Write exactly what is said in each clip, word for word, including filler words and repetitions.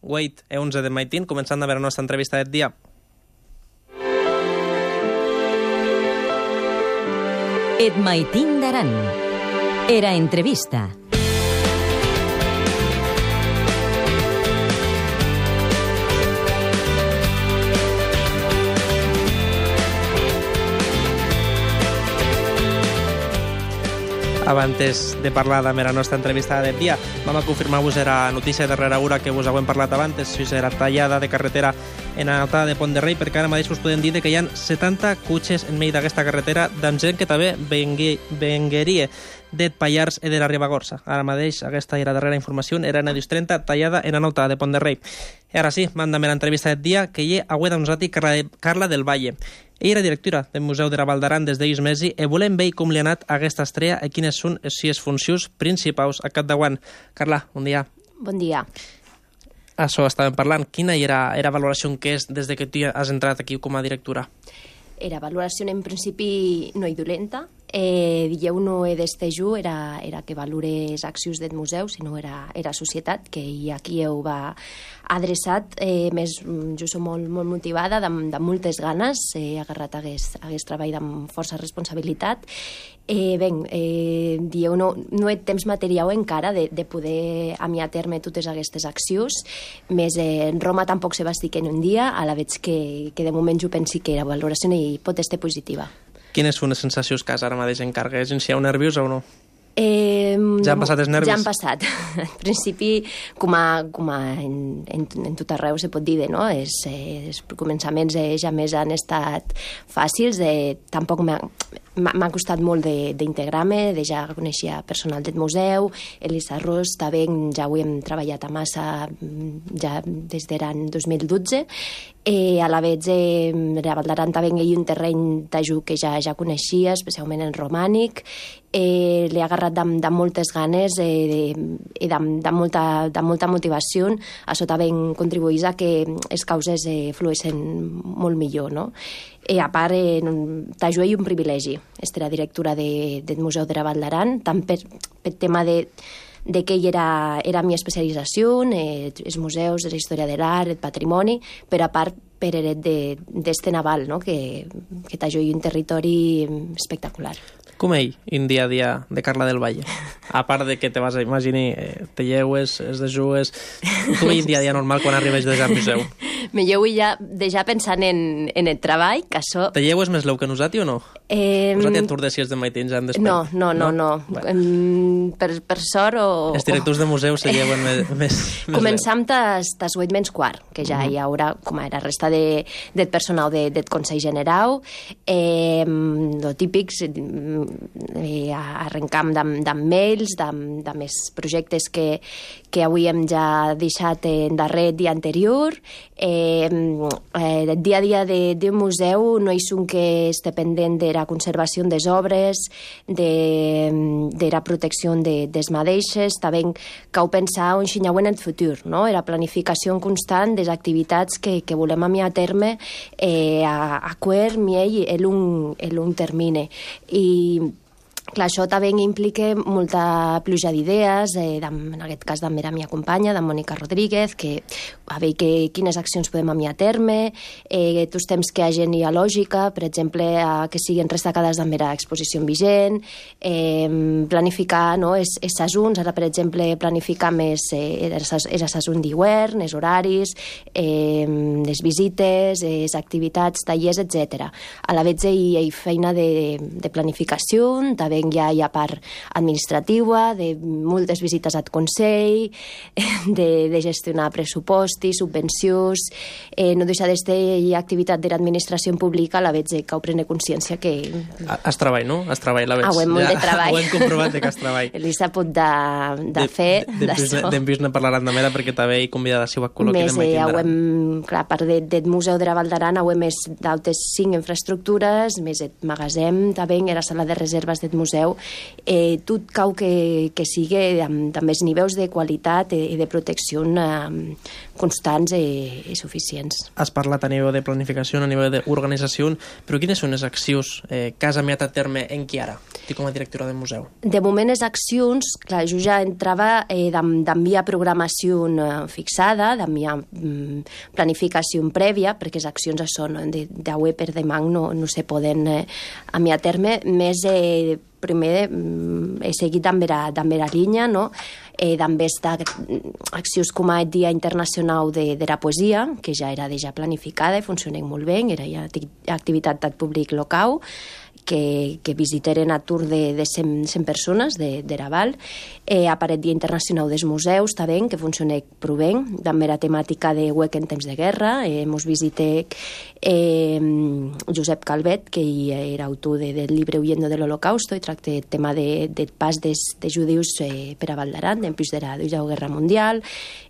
Wait e onze de Maitin, començant a veure la nostra entrevista d'aquest dia. Et Maitin d'Aran. Era entrevista. Abans de parlar de la nostra entrevista d'aquest dia, vam a confirmar-vos era notícia darrere hora que us hem parlat abans, si era tallada de carretera en l'altada de Pont de Rei, perquè ara mateix us podem dir que hi ha setanta cotxes en mig d'aquesta carretera d'en gent que també vengueria d'et Pallars i de la Ribagorça. Ara mateix aquesta era darrera informació, era en edició trenta, tallada en l'altada de Pont de Rei. I ara sí, manda'm l'entrevista d'aquest dia, que hi ha avui amb nosaltres Carla, de, Carla del Valle. Ella era directora del Museu de la Val d'Aran des d'ells mesos i volem veure com li ha anat aquesta estrella i quines són les sis funcions principals a capdavant. Carla, bon dia. Bon dia. Això estàvem parlant. Quina era la valoració que és des que tu has entrat aquí com a directora? Era valoració en principi no i dolenta. Eh, dieu no he d'estejo era, era que valore les accions del museu, sinó era, era societat, que aquí heu va adreçat. Eh, més, jo soc molt, molt motivada, amb, amb moltes ganes, he agarrat aquest, aquest treball amb força responsabilitat. Eh, ben, eh, dieu, no, no he temps material encara de, de poder amiar a terme totes aquestes accions, més eh, Roma tampoc se va estic en un dia, a la veig que, que de moment jo pensi que la valoració hi pot estar positiva. Quines són les sensacions que has ara mateix en cargues? Si heu nerviós o no? Eh, ja han passat els nervis? Ja han passat. En principi, com, a, com a en, en, en tot arreu se pot dir, no? Els, els començaments eh, ja més han estat fàcils. Eh, tampoc m'ha costat molt d'integrar-me, de, de ja coneixia personal del museu, Elisa Ros, també ja ho hem treballat a massa ja des de l'any dos mil dotze. Eh, a la vegada, eh, la Val d'Aran també hi ha un terreny d'ajuda que ja, ja coneixia, especialment en romànic. Eh, l'he agarrat de, de moltes ganes eh, i de, de, molta, de molta motivació. Això també contribueix a que les causes eh, flueixen molt millor, no? I a part, eh, t'ajuda un privilegi, estar directora de, del Museu de la Val d'Aran, tant per, per tema de de que era, era la meva especialització, eh, els museus, la història de l'art, el patrimoni, però a part per heret d'este naval, no? que, que t'ajuda un territori espectacular. Com ell, un dia a dia de Carla del Valle? A part de que te vas a imaginar, eh, te lleues, es dejues... Com ell un dia a dia normal quan arribes des del museu? Me llevo ja, ja pensant en, en el treball, que això... Te lleues més leu que nosaltres o no? Eh, nosaltres entordecies de maitins en despert. No, no, no, no. no. Bueno. Per, per sort o... Els directors de museu se lleuen més, més, més Començam tas, tas vuit menys quart, que ja uh -huh. hi haurà, com a la resta de, del personal de, del Consell General, eh, lo típics, eh, arrencam d'amb mails, d'amb més projectes que, que avui hem ja deixat en darrer dia anterior. Eh, eh, el dia a dia d'un museu no és un que esté pendent de la conservació des obres, de, de la protecció de, des mateixes, també cal pensar un xinyau en el futur, no? La planificació constant de les activitats que, que volem amiar a terme eh, a, a quart, miell, el un, el un termine. I clar, això també implica molta pluja d'idees, eh, en aquest cas també era la meva companya, de Mònica Rodríguez, que a veure que, quines accions podem amiar a terme, eh, tots temps que hi hagi lògica, per exemple, a, que siguin destacades també l'exposició vigent, eh, planificar no, els sasons, ara per exemple planificar més eh, el sasón d'hivern, els horaris, eh, les visites, les activitats, tallers, etcètera. A la vegada hi ha feina de, de planificació, també ja hi ha part administrativa, de moltes visites al Consell, de, de gestionar pressupostos, subvencions, eh, no deixa d'estar activitat de l'administració pública, a la vegada que ho prene consciència que... Has treball, no? Has treball, la veig. Ah, ho hem molt de treball. Ho hem comprovat que has treball. Elisa pot de, de fer d'això. D'en Pius ne parlarà també perquè també he convidat a si ho col·loqui més, eh, ho hem, clar, a part de, del Museu de la Val d'Aran, ho hem més d'altres cinc infraestructures, més el magatzem, també, la sala de reserves del museu, eh, tot cau que, que sigui amb, amb els nivells de qualitat i de protecció eh, constants i, i suficients. Has parlat a nivell de planificació, a nivell d'organització, però quines són les accions eh, que has amiat a terme en qui ara, tu com a directora del museu? De moment, les accions, clar, jo ja entrava eh, d'enviar programació eh, fixada, d'enviar mm, planificació prèvia, perquè les accions són de, d'avui per demà no, no se poden eh, enviar a terme, més eh, primer mm, he seguit amb la, amb la línia, no? Eh, també està accions com el Dia Internacional de, de la Poesia, que ja era ja planificada i funcionava molt bé, era ja activitat del públic local, que, que visiteren a tour de, de cent, cent persones de, de Raval. Eh, aparet Dia Internacional dels Museus, també, que funciona prou bé, també la temàtica de huec en temps de guerra. Eh, mos visité eh, Josep Calvet, que era autor de, del llibre Huyendo de l'Holocausto, i tracta el tema de, de pas des, de judius eh, per a Val d'Aran, després de la Segona Guerra Mundial.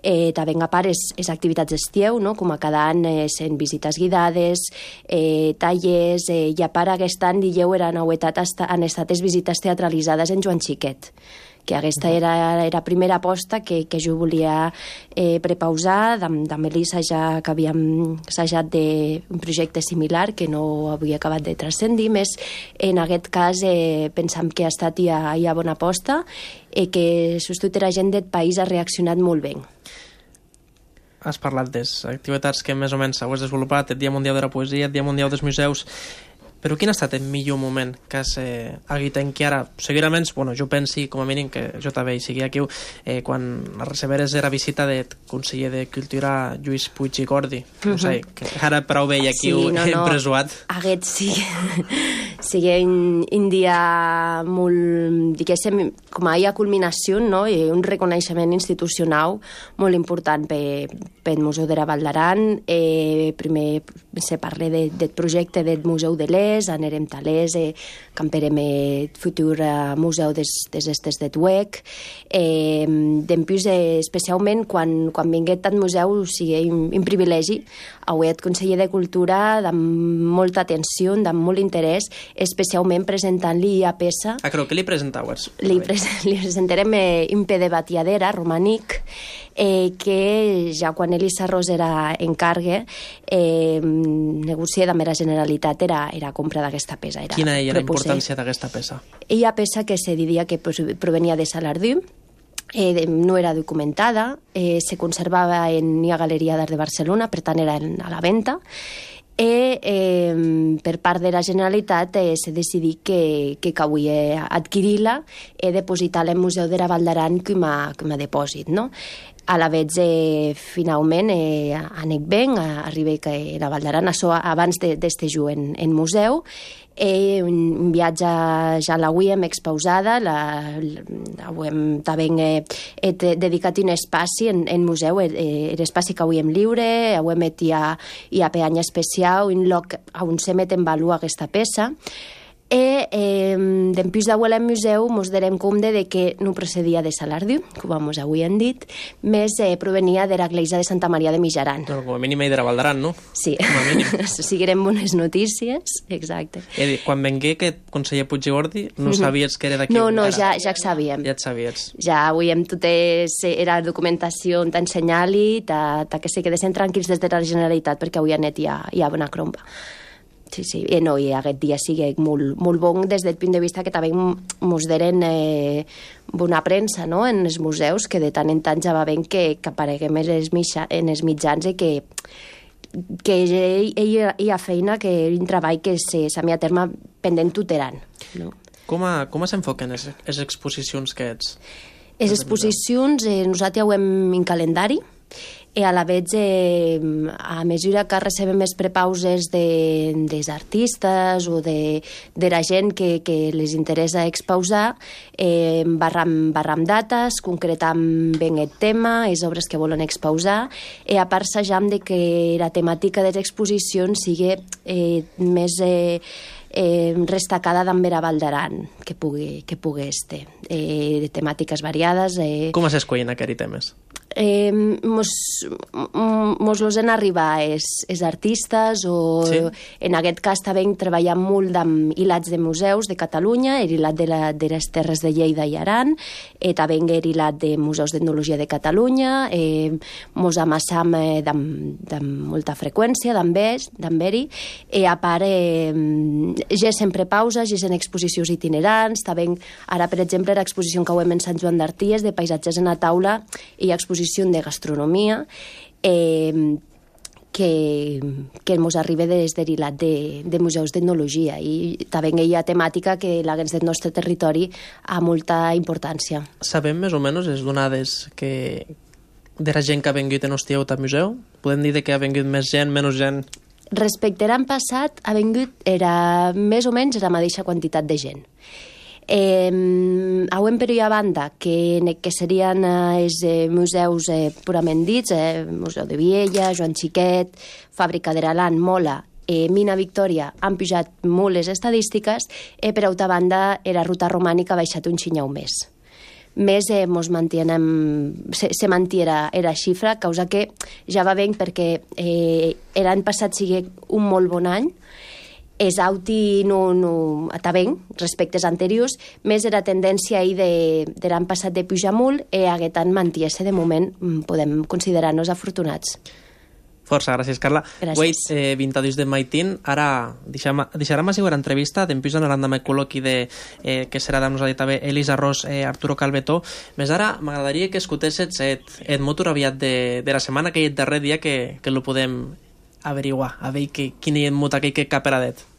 Eh, també a part les, les activitats d'estiu, no? Com a cada any eh, sent visites guidades, eh, tallers, eh, i a part aquest any dijeu era novetat, han estat les visites teatralitzades en Joan Xiquet, que aquesta era la primera aposta que, que jo volia eh, prepausar, amb, amb Elisa ja que havíem assajat d'un projecte similar que no havia acabat de transcendir, més en aquest cas eh, pensam que ha estat ja, ja bona aposta i eh, que sobretot la gent del país ha reaccionat molt bé. Has parlat de les activitats que més o menys heu desenvolupat, el Dia Mundial de la Poesia, el Dia Mundial dels Museus, però quin ha estat el millor moment que has eh, hagut en què ara, segurament, bueno, jo pensi com a mínim que jo també hi sigui aquí, eh, quan receberes la visita del conseller de Cultura Lluís Puig i Gordi, no sé, que ara prou bé aquí sí, no, no. empresuat. Aquest sí, sigui un, un dia molt, diguéssim, com a culminació, no? I un reconeixement institucional molt important per, per el Museu de la Val d'Aran. Eh, primer se parla de, del projecte del Museu de l'Est, anirem talers, eh, camperem el futur eh, museu des, des estes de Tuec. Eh, Dempús, eh, especialment, quan, quan vinguet al museu, o sigui, un, un privilegi, avui el conseller de Cultura, amb molta atenció, amb molt interès, especialment presentant-li a peça... Ah, creu que li presentau? Li, pres li presentarem eh, un pe de batiadera romànic, eh, que ja quan Elisa Ros era en cargue, eh, negocia amb la Generalitat era, era compra d'aquesta peça. Era, Quina era la importància d'aquesta peça? Ella peça que se diria que provenia de Salardú, eh, no era documentada, eh, se conservava en la Galeria d'Art de Barcelona, per tant era a la venda, i eh, per part de la Generalitat eh, s'ha decidit que, que calia adquirir-la i depositar-la al Museu de la Val d'Aran com a, com a depòsit, no? A la vegada, eh, finalment, eh, anec ben, arriba que la Val d'Aran, això abans d'este ju en, en museu, eh, un viatge ja l'avui hem expausada, la, la, hem també eh, he dedicat un espai en, en museu, eh, l'espai que avui hem lliure, avui hem hi ha, hi ha peanya especial, un lloc on se met en valor aquesta peça, i eh, dempús d'avui al museu mos darem compte de que no procedia de Salardú, com mos avui hem dit, més eh, provenia de l'església de Santa Maria de Mijaran. No, com a mínim de la Val d'Aran, no? Sí, siguerem bones notícies, exacte. I quan vengué aquest conseller Puig i Gordi, no sabies que era d'aquí? No, no, ja, ja ho sabíem. Ja et sabies. Ja avui hem tot és, era documentació on t'ensenyar-li, ta, ta que se quedessin tranquils des de la Generalitat, perquè avui a net hi ha, hi ha bona crompa. Sí, sí, i no, i aquest dia sigui molt, molt bon des del punt de vista que també mos deren eh, bona premsa, no?, en els museus, que de tant en tant ja va ben que, que apareguem en els, mitja, en els mitjans i que, que ell, ell hi ha feina, que un treball que s'ha a terme pendent tuteran. No? Com, a, com s'enfoquen les, les exposicions que ets? Les exposicions, eh, nosaltres ho hem en calendari, i a la vegada, eh, a mesura que recebem més prepauses de, dels artistes o de, de la gent que, que les interessa expausar, eh, barram, barram dates, concretam ben el tema, les obres que volen expausar, i a part sajam de que la temàtica de les exposicions sigui eh, més... Eh, Eh, restacada d'en Vera Val d'Aran, que pugui, que pugui este, eh, de temàtiques variades. Eh. Com s'escollen aquests temes? Eh, mos, mos los en arribar els, els artistes o sí. En aquest cas també treballem molt amb hilats de museus de Catalunya, el hilat de, la, de les Terres de Lleida i Aran, eh, també el hilat de museus d'etnologia de Catalunya, eh, mos amassam eh, amb molta freqüència d'haver-hi, i a part eh, ja sempre pauses, ja en exposicions itinerants, també ara per exemple l'exposició que hem en Sant Joan d'Arties de paisatges en la taula i exposició de gastronomia eh, que, que mos arriba des de l'hilat de, de museus d'etnologia i també hi ha temàtica que l'haguens del nostre territori ha molta importància. Sabem més o menys les donades que de la gent que ha vingut en Hostieu al museu? Podem dir que ha vingut més gent, menys gent? Respecte a l'any passat, ha vingut era més o menys la mateixa quantitat de gent. Eh, auem per a banda que, que serien eh, els eh, museus eh, purament dits, eh, Museu de Viella, Joan Xiquet, Fàbrica d'Aralan, Mola, eh, Mina Victòria, han pujat molt les estadístiques, eh, per altra banda la ruta romànica ha baixat un xinyau més. Més eh, mos mantienem, se, se mantiera era xifra, causa que ja va bé perquè eh, l'any passat sigui un molt bon any. És auti no, no, està bé, respecte als anteriors, més era tendència ahir de, de l'any passat de pujar molt i aquest any mantiese de moment podem considerar-nos afortunats. Força, gràcies, Carla. Gràcies. Wait, eh, vint dos de Maitín, ara deixarem a seguir l'entrevista, després anarem amb el col·loqui de, eh, que serà amb nosaltres també Elisa Ros, eh, Arturo Calvetó. Més ara m'agradaria que escoltessis el, el motor aviat de, de la setmana, que és el darrer dia que, que lo podem averiguar, a veure que, quin és el mot aquell que cap peradet.